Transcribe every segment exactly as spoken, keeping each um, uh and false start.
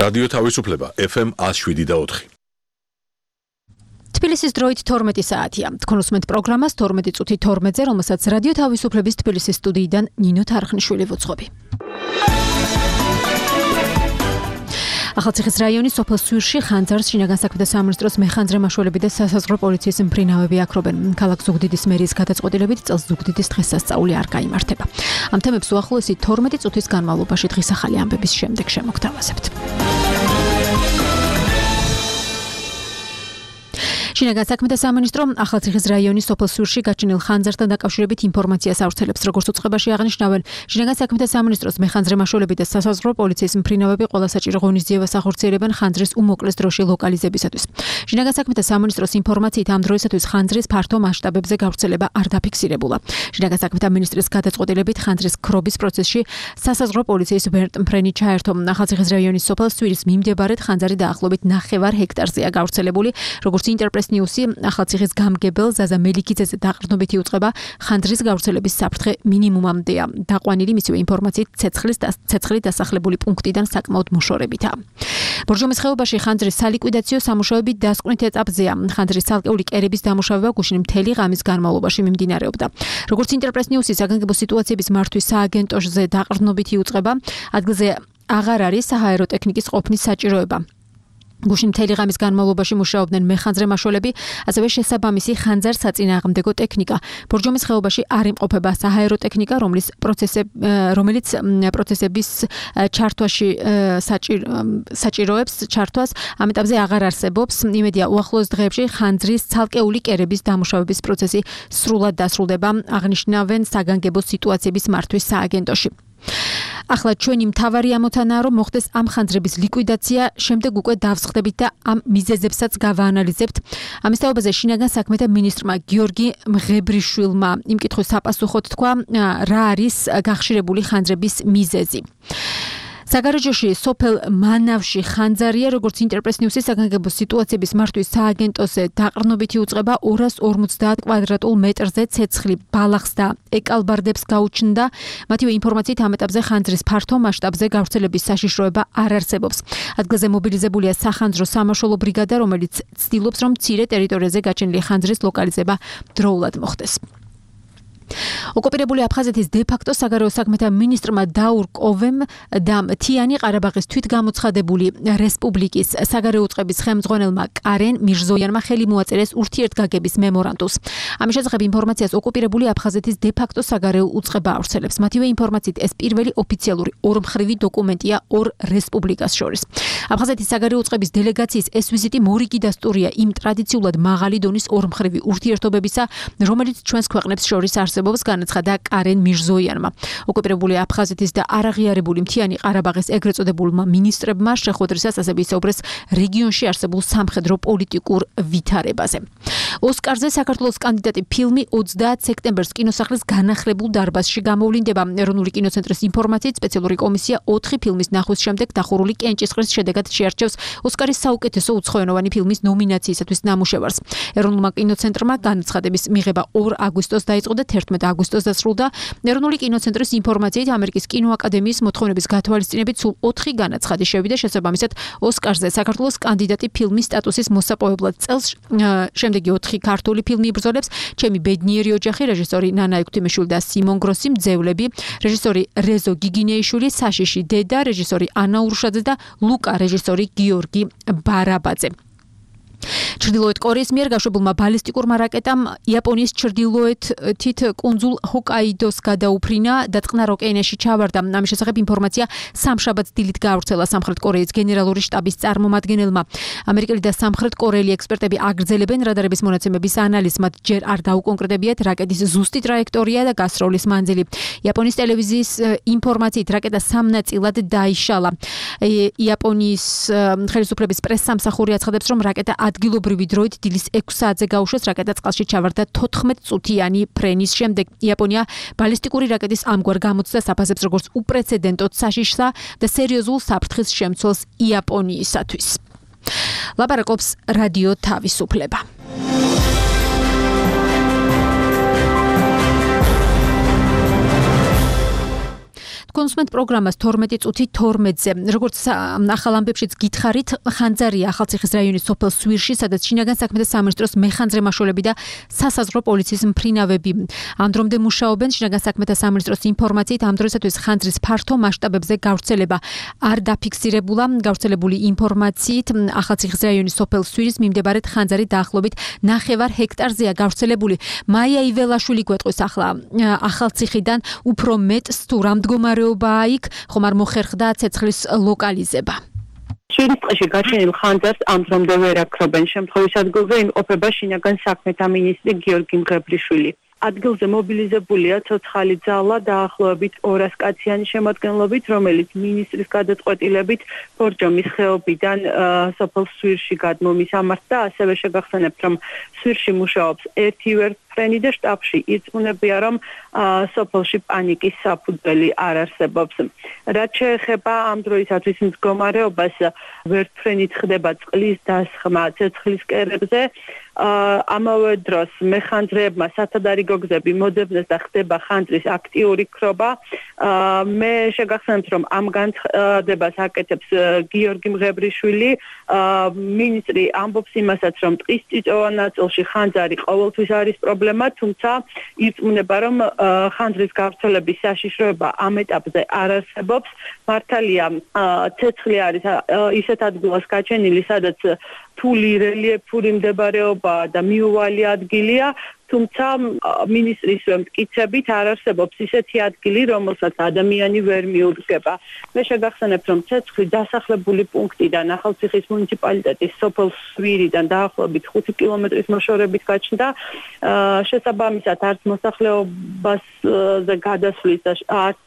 რადიო თავისუფლება ეფ ემ one oh seven და four. თბილისის დროით თორმეტი საათია. თქვენ უსმენთ პროგრამას თორმეტი წუთი თორმეტზე, რომელსაც რადიო თავისუფლების თბილისის სტუდიიდან ნინო თარხნიშვილი ვუძღვები. ახალციხის რაიონის სოფელ სვირში ხანძარს შინაგან საქმეთა სამინისტროს მეხანძრე მაშველები და სასაზღვრო პოლიციის მფრინავები აქრობენ. ქალაქ ზუგდიდის მერიის გადაწყვეტილებით წელს ზუგდიდის დღესასწაული არ გაიმართება. ამ თემებს უახლოესი თორმეტი წუთის განმავლობაში დღის ახალი ამბების შემდეგ შემოგთავაზებთ. შინაგან საქმეთა სამინისტრო ახალციხის რაიონის სოფელ სვირში გაჩენილ ხანძართან დაკავშირებით ინფორმაციას ავრცელებს. როგორც უწყებაში აღნიშნავენ, შინაგან საქმეთა სამინისტროს მეხანძრე მაშველები და სასაზღვრო პოლიციის მფრინავები ყველა საჭირო ღონისძიებას ახორციელებენ ხანძრის უმოკლეს დროში ლოკალიზებისათვის. შინაგან საქმეთა სამინისტროს ინფორმაციით ამ დროისათვის ხანძრის ფართო მასშტაბებზე გავრცელება არ დაფიქსირებულა. შინაგან საქმეთა მინისტრის გადაწყვეტილებით ხანძრის ქრობის პროცესში სასაზღვრო პოლიციის ვერტმფრენი ჩაერთო. ახალციხის რაიონის სოფელ სვირის მიმდებარედ ხანძარი დაახლოებით ნახევარ ჰექტარზეა გავრცელებული. როგორც ინტერპრეს ნიუსი ახალციხის გამგებელ ზაზა მელიქიძეზე დაყრდნობითი უწყება ხანძრის გავრცელების საფრთხე მინიმუმამდეა. დაყვანილი მისივე ინფორმაციით ცეცხლის ცეცხლი დასახლებული პუნქტიდან საკმაოდ მოშორებითაა. ბორჯომის ხეობაში ხანძრის სალიკვიდაციო სამუშაოები დასკვნით ეტაპზეა. ხანძრის ცალკეული კერების დამუშავება გუშინ მთელი ღამის განმავლობაში მიმდინარეობდა. როგორც ინტერპრეს ნიუსი საგანგებო სიტუაციების მართვის სააგენტოზე დაყრდნობითი უწყება, ადგილზე აღარ არის საჰაერო ტექნიკის ყოფნის საჭიროება. გუშინ მთელი ღამის განმავლობაში მუშაობდნენ მეხანძრე მაშველები, ასევე შესაბამისი ხანძარ საწინააღმდეგო ტექნიკა. ბორჯომის ხეობაში არ იმყოფება საჰაერო ტექნიკა, რომლის პროცესები რომელიც პროცესების ჩართვაში საჭიროებს ჩართვას ამ ეტაპზე აღარ არსებობს. იმედია უახლოეს დღეებში ხანძრის ცალკეული კერების დამუშავების პროცესი სრულად დასრულდება, აღნიშნავენ საგანგებო სიტუაციების მართვის სააგენტოში. ახლა ჩვენი მთავარი ამოცანაა, რომ მოხდეს ამ ხანძრების ლიკვიდაცია, შემდეგ უკვე დავსხდებით და ამ მიზეზებსაც გავაანალიზებთ. ამის თაობაზე შინაგან საქმეთა მინისტრმა გიორგი მღებრიშვილმა იმ კითხვის საპასუხოდ თქვა, რა არის გახშირებული ხანძრების მიზეზი. საგარეჯოში სოფელ მანავში ხანძარია, როგორც ინტერპრეს ნიუსის საგანგებო სიტუაციების მართვის სააგენტოზე დაყრდნობითი უწყება ორას ორმოცდაათ კვადრატულ მეტრზე ცეცხლი ბალახს და ეკალბარდებს გაუჩნდა. მათივე ინფორმაციით ამ ეტაპზე ხანძრის ფართო მასშტაბზე გავრცელების საშიშროება არ არსებობს. ადგილზე მობილიზებულია სახანძრო სამაშველო ბრიგადა, რომელიც ცდილობს, რომ მცირე ტერიტორიაზე გაჩენილი ხანძრის ლოკალიზება დროულად მოხდეს. ოკუპირებული აფხაზეთის დე-ფაქტო საგარეო საქმეთა მინისტრმა დაურ კოვემ და მთიანი ყარაბაღის თვითგამოცხადებული რესპუბლიკის საგარეო უწყების ხელმძღვანელმა კარენ მირზოიანმა ხელი მოაწერეს ურთიერთგაგების მემორანდუმს. ამის შესახებ ინფორმაციას ოკუპირებული აფხაზეთის დე-ფაქტო საგარეო უწყება ავრცელებს. მათივე ინფორმაციით ეს პირველი ოფიციალური ორმხრივი დოკუმენტია ორ რესპუბლიკას შორის. აფხაზეთის საგარეო უწყების დელეგაციის ეს ვიზიტი მორიგი დასტურია იმ ტრადიციულად მაღალი დონის ორმხრივი ურთიერთობებისა, რომელიც ჩვენს ქვეყნებს შორის არსებობს. განაცხადა კარენ მირზოიანმა. ოკუპირებული აფხაზეთის და არაღიარებული მთიანი ყარაბაღის ეგრეთ წოდებულმა მინისტრებმა შეხვედრისას ასევე ისაუბრეს რეგიონში არსებულ სამხედრო პოლიტიკურ ვითარებაზე. ოსკარზე საქართველოს კანდიდატი ფილმი ოცდაათ სექტემბერს კინოსახლის განახლებულ დარბაზში გამოვლინდება. ეროვნული კინოცენტრის ინფორმაციით სპეციალური კომისია ოთხი ფილმის ნახვის შემდეგ დახურული კენჭისყრის შედეგად შეარჩევს ოსკარის საუკეთესო უცხოენოვანი ფილმის ნომინაციისათვის ნამუშევარს. ეროვნულმა კინოცენტრმა განაცხადების მიღება ორ აგვისტოს დაიწყო და თერთმეტ აგვისტოს დასრულდა. ეროვნული კინოცენტრის ინფორმაციით ამერიკის კინოაკადემიის მოთხოვნების გათვალისწინებით სულ ოთხი განაცხადი შევიდა შესაბამისად ოსკარზე საქართველოს კანდიდატი ფილმის სტატუსის მოსაპოვებლად. წელს შემდეგი ოთხი ქართული ფილმი იბრძოლებს: ჩემი ბედნიერი ოჯახი, რეჟისორი ნანა ექვთიმიშვილი და სიმონ გროსი, მძევლები, რეჟისორი რეზო გიგინეიშვილი, საშიში დედა, რეჟისორი ანა ურუშაძე და ლუკა, რეჟისორი გიორგი ბარაბაძე. ჩრდილოეთ კორეის მიერ გაშვებულმა ბალისტიკურმა რაკეტამ იაპონიის ჩრდილოეთით კუნძულ ჰოკაიდოს გადაუფრინა და წყნარ ოკეანეში ჩავარდა. ამის შესახებ ინფორმაცია სამშაბათს დილით გაავრცელა სამხრეთ კორეის გენერალური შტაბის წარმომადგენელმა. ამერიკელი და სამხრეთ კორეელი ექსპერტები აგრძელებენ რადარების მონაცემების ანალიზს, მათ ჯერ არ დაუკონკრეტებიათ რაკეტის ზუსტი ტრაექტორია და გასროლის მანძილი. იაპონიის ტელევიზიის ინფორმაციით რაკეტა სამ ნაწილად დაიშალა. იაპონიის ხელისუფლების პრესსამსახური აცხადებს, რომ რაკეტა ადგილობრივი დროით დილის ექვს საათზე გაუშვეს. რაკეტა წყალში ჩავარდა თოთხმეტ წუთიანი ფრენის შემდეგ. იაპონია ბალისტიკური რაკეტის ამგვარ გამოცდას აფასებს როგორც უპრეცედენტოდ საშიშსა და სერიოზულ საფრთხის შემცველს იაპონიისათვის. ლაპარაკობს რადიო თავისუფლება. თქვენ გულისხმობთ პროგრამას თორმეტი წუთი თორმეტზე. როგორც ახალ ამბებშიც გითხარით, ხანძარია ახალციხის რაიონის სოფელ სვირში, სადაც შინაგან საქმეთა სამინისტროს მეხანძრე მაშველები და სასაზღვრო პოლიციის მფრინავები ამ დრომდე მუშაობენ. შინაგან საქმეთა სამინისტროს ინფორმაციით ამ დროისათვის ხანძრის ფართო მასშტაბებზე გავრცელება არ დაფიქსირებულა. გავრცელებული ინფორმაციით ახალციხის რაიონის სოფელ სვირის მიმდებარედ ხანძარი დაახლოებით ნახევარ ჰექტარზეა გავრცელებული. მაია იველაშვილი გვეტყვის ახლა ახალციხიდან უფრო მეტს თუ რა მდგომარეობაა იქ, ხომ არ მოხერხდა ცეცხლის ლოკალიზება. შვიდის ტყეში გაჩენილ ხანძარს ამ დრომდე ვერ აქრობენ. შემთხვევის ადგილზე იმყოფება შინაგან საქმეთა მინისტრი გიორგი მღებრიშვილი. ადგილზე მობილიზებულია ცოცხალი ძალა დაახლოებით ორას კაციანი შემადგენლობით, რომელიც მინისტრის გადაწყვეტილებით ბორჯომის ხეობიდან სოფელ სვირში გადმომისამართ და ასევე შეგახსენებთ, რომ სვირში მუშაობს ერთი ვერტმფრენი და შტაბში ირწმუნებია, რომ სოფელში პანიკის საფუძველი არ არსებობს. რაც შეეხება ამ დროისათვის მდგომარეობას, ვერტმფრენით ხდება წყლის დასხმა ცეცხლის კერებზე. ამავე დროს მეხანძრეებმა სათადარი გოგზები მოძებნეს და ხდება ხანძრის აქტიური ქრობა. მე შეგახსენებთ, რომ ამ განცხადებას აკეთებს გიორგი მღებრიშვილი. მინისტრი ამბობს იმასაც, რომ ტყის წიწვოვან ნაწილში ხანძარი ყოველთვის არის პრობლემა, თუმცა ირწმუნება, რომ ხანძრის გავრცელების საშიშროება ამ ეტაპზე არ არსებობს. მართალია, ცეცხლი არის ისეთ ადგილას გაჩენილი, სადაც რთული რელიეფური მდებარეობა და მიუვალი ადგილია, თუმცა მინისტრის მტკიცებით არ არსებობს ისეთი ადგილი, რომელსაც ადამიანი ვერ მიუდგება. მე შეგახსენებთ, რომ ცეცხლი დასახლებული პუნქტიდან ახალციხის მუნიციპალიტეტის სოფელ სვირიდან დაახლოებით ხუთი კილომეტრის მოშორებით გაჩნდა. შესაბამისად, არც მოსახლეობაზე გადასვლის და არც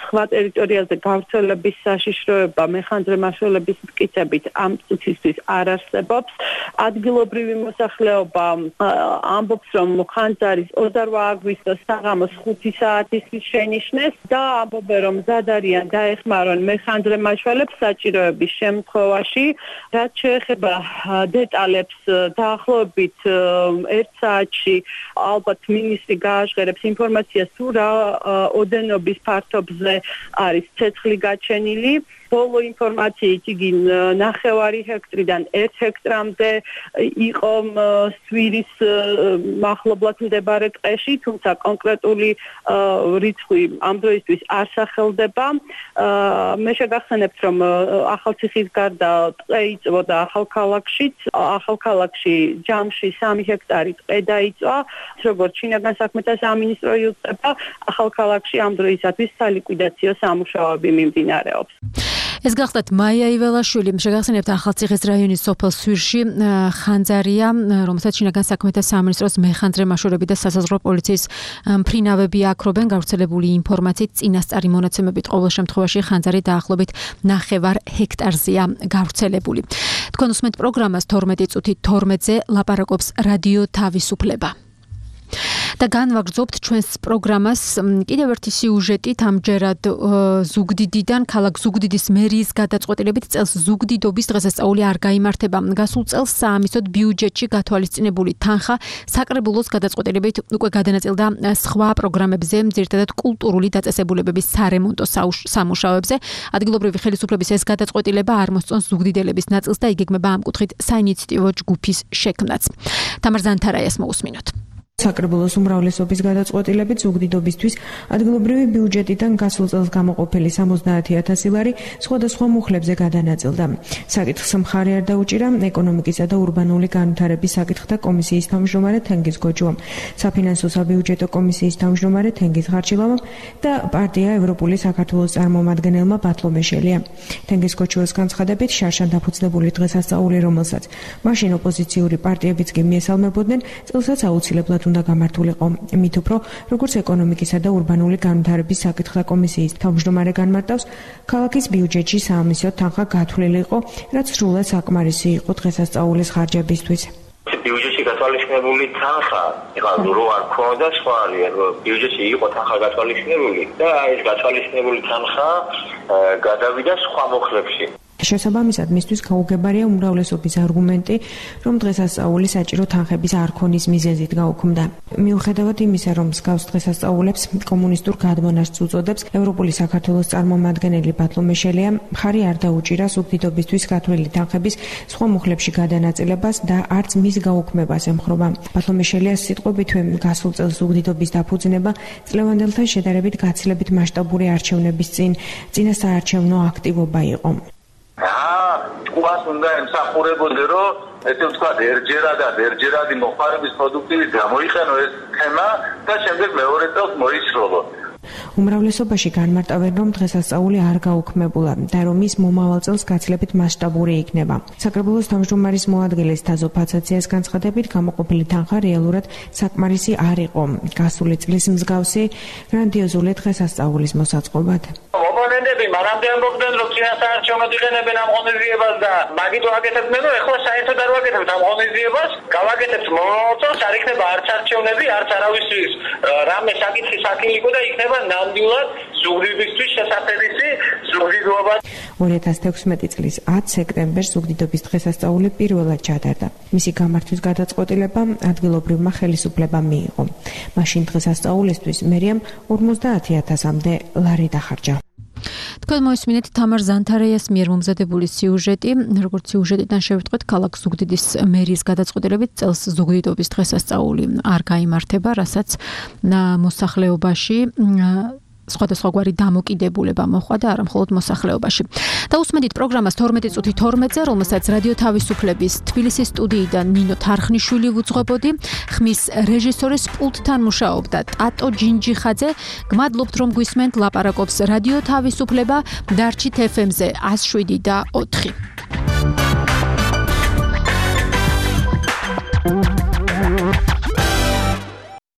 სხვა ტერიტორიაზე გავრცელების საშიშროება მეხანძრე მაშველების მტკიცებით ამ წუთისთვის არ არსებობს. ადგილობრივი მოსახლეობა ამბობს, რომ ხანძარის ოცდაოთხ აგვისტოს საღამოს ხუთი საათის შენიშნეს და ამბობენ, რომ მზად არიან დაეხმარონ მეხანძრე მაშველებს საჭიროების შემთხვევაში. რაც შეეხება დეტალებს, დაახლოებით ერთ საათში ალბათ მინისტრი გააჟღერებს ინფორმაციას, თუ რა ოდენობის ფართობზე არის ცეცხლი გაჩენილი. ბოლო ინფორმაციით იგი ნახევარი ჰექტრიდან ერთ ჰექტრამდე იყო სვირის მახლობლად მდებარე ტყეში, თუმცა კონკრეტული რიცხვი ამ დროისთვის არ სახელდება. მე შეგახსენებთ, რომ ახალციხის გარდა ტყე იწვოდა ახალქალაქშიც, ახალქალაქში ჯამში სამი ჰექტარი ტყე დაიწვა, როგორც შინაგან საქმეთა სამინისტრო იუწყება, ახალქალაქში ამ დროისათვის სალიკვიდაციო სამუშაოები მიმდინარეობს. ეს გახლდათ მაია იველაშვილი, შეგახსენებთ ახალციხის რაიონის სოფელ სვირში ხანძარია, რომელსაც შინაგან საქმეთა სამინისტროს მეხანძრე მაშველები და სასაზღვრო პოლიციის მფრინავები აქრობენ. გავრცელებული ინფორმაციით წინასწარი მონაცემებით ყოველ შემთხვევაში ხანძარი დაახლოებით ნახევარ ჰექტარზეა გავრცელებული. თქვენ უსმენთ პროგრამას თორმეტი წუთი თორმეტზე, ლაპარაკობს რადიო თავისუფლება. და განვაგრძობთ ჩვენს პროგრამას კიდევ ერთი სიუჟეტით, ამჯერად ზუგდიდიდან, ქალაქ ზუგდიდის მერიის გადაწყვეტილებით წელს ზუგდიდობის დღესასწაული არ გაიმართება. გასულ წელს საამისოდ ბიუჯეტში გათვალისწინებული თანხა საკრებულოს გადაწყვეტილებით უკვე გადანაწილდა სხვა პროგრამებზე, ძირითადად კულტურული დაწესებულებების სარემონტო სამუშაოებზე. ადგილობრივი ხელისუფლების ეს გადაწყვეტილება არ მოსწონს ზუგდიდელების ნაწილს და იგეგმება ამ კუთხით საინიციატივო ჯგუფის შექმნაც. თამარ ზანთარაიას მოусმინოთ. საკრებულოს უმრავლესობის გადაწყვეტილებით ზუგდიდობისთვის ადგილობრივი ბიუჯეტიდან გასულ წელს გამოყოფილი სამოცდაათი ათასი ლარი სხვადასხვა მუხლებზე გადანაწილდა. საკითხს მხარი არ დაუჭირა ეკონომიკისა და ურბანული განვითარების საკითხთა კომისიის თავმჯდომარე თენგიზ გოჯუამ, საფინანსო საბიუჯეტო კომისიის თავმჯდომარე თენგიზ ღარჩილავამ და პარტია ევროპული საქართველოს წარმომადგენელმა ბათლო მეშელია. თენგიზ გოჯუას განცხადებით, შარშან დაფუძნებული დღესასწაული, რომელსაც მაშინ ოპოზიციური პარტიებიც კი მიესალმებოდნენ, წელსაც აუცილებლად უნდა გამართულიყო. მით უფრო, როგორც ეკონომიკისა და ურბანული განვითარების საკითხთა კომისიის თავმჯდომარე განმარტავს, ქალაქის ბიუჯეტში საამისოდ თანხა გათვლილი იყო, რაც სრულად საკმარისი იყო დღესასწაულის ხარჯებისთვის. ბიუჯეტში გათვალისწინებული თანხა, ეხლა რო არ ქონდა სხვა არის, ბიუჯეტში იყო თანხა გათვალისწინებული და ეს გათვალისწინებული თანხა გადავიდა სხვა მოხლებში. შესაბამისად, მისთვის გაუგებარია უმრავლესობის არგუმენტი, რომ დღესასწაული საჭირო თანხების არ ქონის მიზეზით გაუქმდა. მიუხედავად იმისა, რომ მსგავს დღესასწაულებს კომუნისტურ გადმონაშთს უწოდებს, ევროპული საქართველოს წარმომადგენელი ბათლომეშელია მხარი არ დაუჭირა სუბდიდობისთვის გათვლილი თანხების სხვა მუხლებში გადანაწილებას და არც მის გაუქმებას ემხრობა. ბათლომეშელიას სიტყვებით, გასულ წელს სუბდიდობის დაფუძნება წლევანდელთან შედარებით გაცილებით მასშტაბური არჩევნების წინ წინასაარჩევნო აქტივობა იყო. აა, თქვას უნდა ემსახურებოდე, რომ ესე ვთქვათ, ერჯერადად, ერჯერადი მოხმარების პროდუქტივით გამოიყენო ეს თემა და შემდეგ მეორე წელს მოისროლო. უმრავლესობაში განმარტავენ, რომ დღესასწაული არ გაუქმებულა და რომ ის მომავალ წელს გაცილებით მასშტაბური იქნება. საკრებულოს თავმჯდომარის მოადგილის თაზო ფაცაციას განცხადებით, გამოყოფილი თანხა რეალურად საკმარისი არ იყო გასული წლის მსგავსი გრანდიოზული დღესასწაულის მოსაწყობად. ოპონენტები მანამდე ამბობდნენ, რომ წინასაარჩევნოდ იყენებენ ამ ღონისძიებას და მაგით ვაკეთებდნენ, რომ ეხლა საერთოდ არ ვაკეთებთ ამ ღონისძიებას, გავაკეთებთ მომავალ წელს, არ იქნება არც არჩევნები, არც არავისთვის რამე საკითხი საქილიკო და იქნება ნამდვილად ზუგდიდისთვის შესაძლებელი ზუგდიდობა. ორი ათას თექვსმეტი წლის ათი სექტემბერს ზუგდიდობის დღესასწაული პირველად ჩატარდა. მისი გამართვის გადაწყვეტილება ადგილობრივმა ხელისუფლებამ მიიღო. მაშინ დღესასწაულისთვის მერიამ ორმოცდაათი ათასამდე ლარი დახარჯა. თქვენ მოისმინეთ თამარ ზანთარაიას მიერ მომზადებული სიუჟეტი, როგორც სიუჟეტიდან შევიტყვეთ, ქალაქ ზუგდიდის მერის გადაწყვეტილებით წელს ზუგდიდობის დღესასწაული არ გაიმართება, რასაც მოსახლეობაში სხვადასხვაგვარი დამოკიდებულება მოხდა და არა მხოლოდ მოსახლეობაში. და უსმენთ პროგრამას თორმეტი წუთი თორმეტზე, რომელსაც რადიო თავისუფლების თბილისის სტუდიიდან ნინო თარხნიშვილი ვუძღვებოდი, ხმის რეჟისორის პულტთან მუშაობდა ტატო ჯინჯიხაძე. გმადლობთ, რომ გვისმენთ, ლაპარაკობს რადიო თავისუფლება, დარჩით ეფ ემ-ზე ას შვიდი და ოთხი.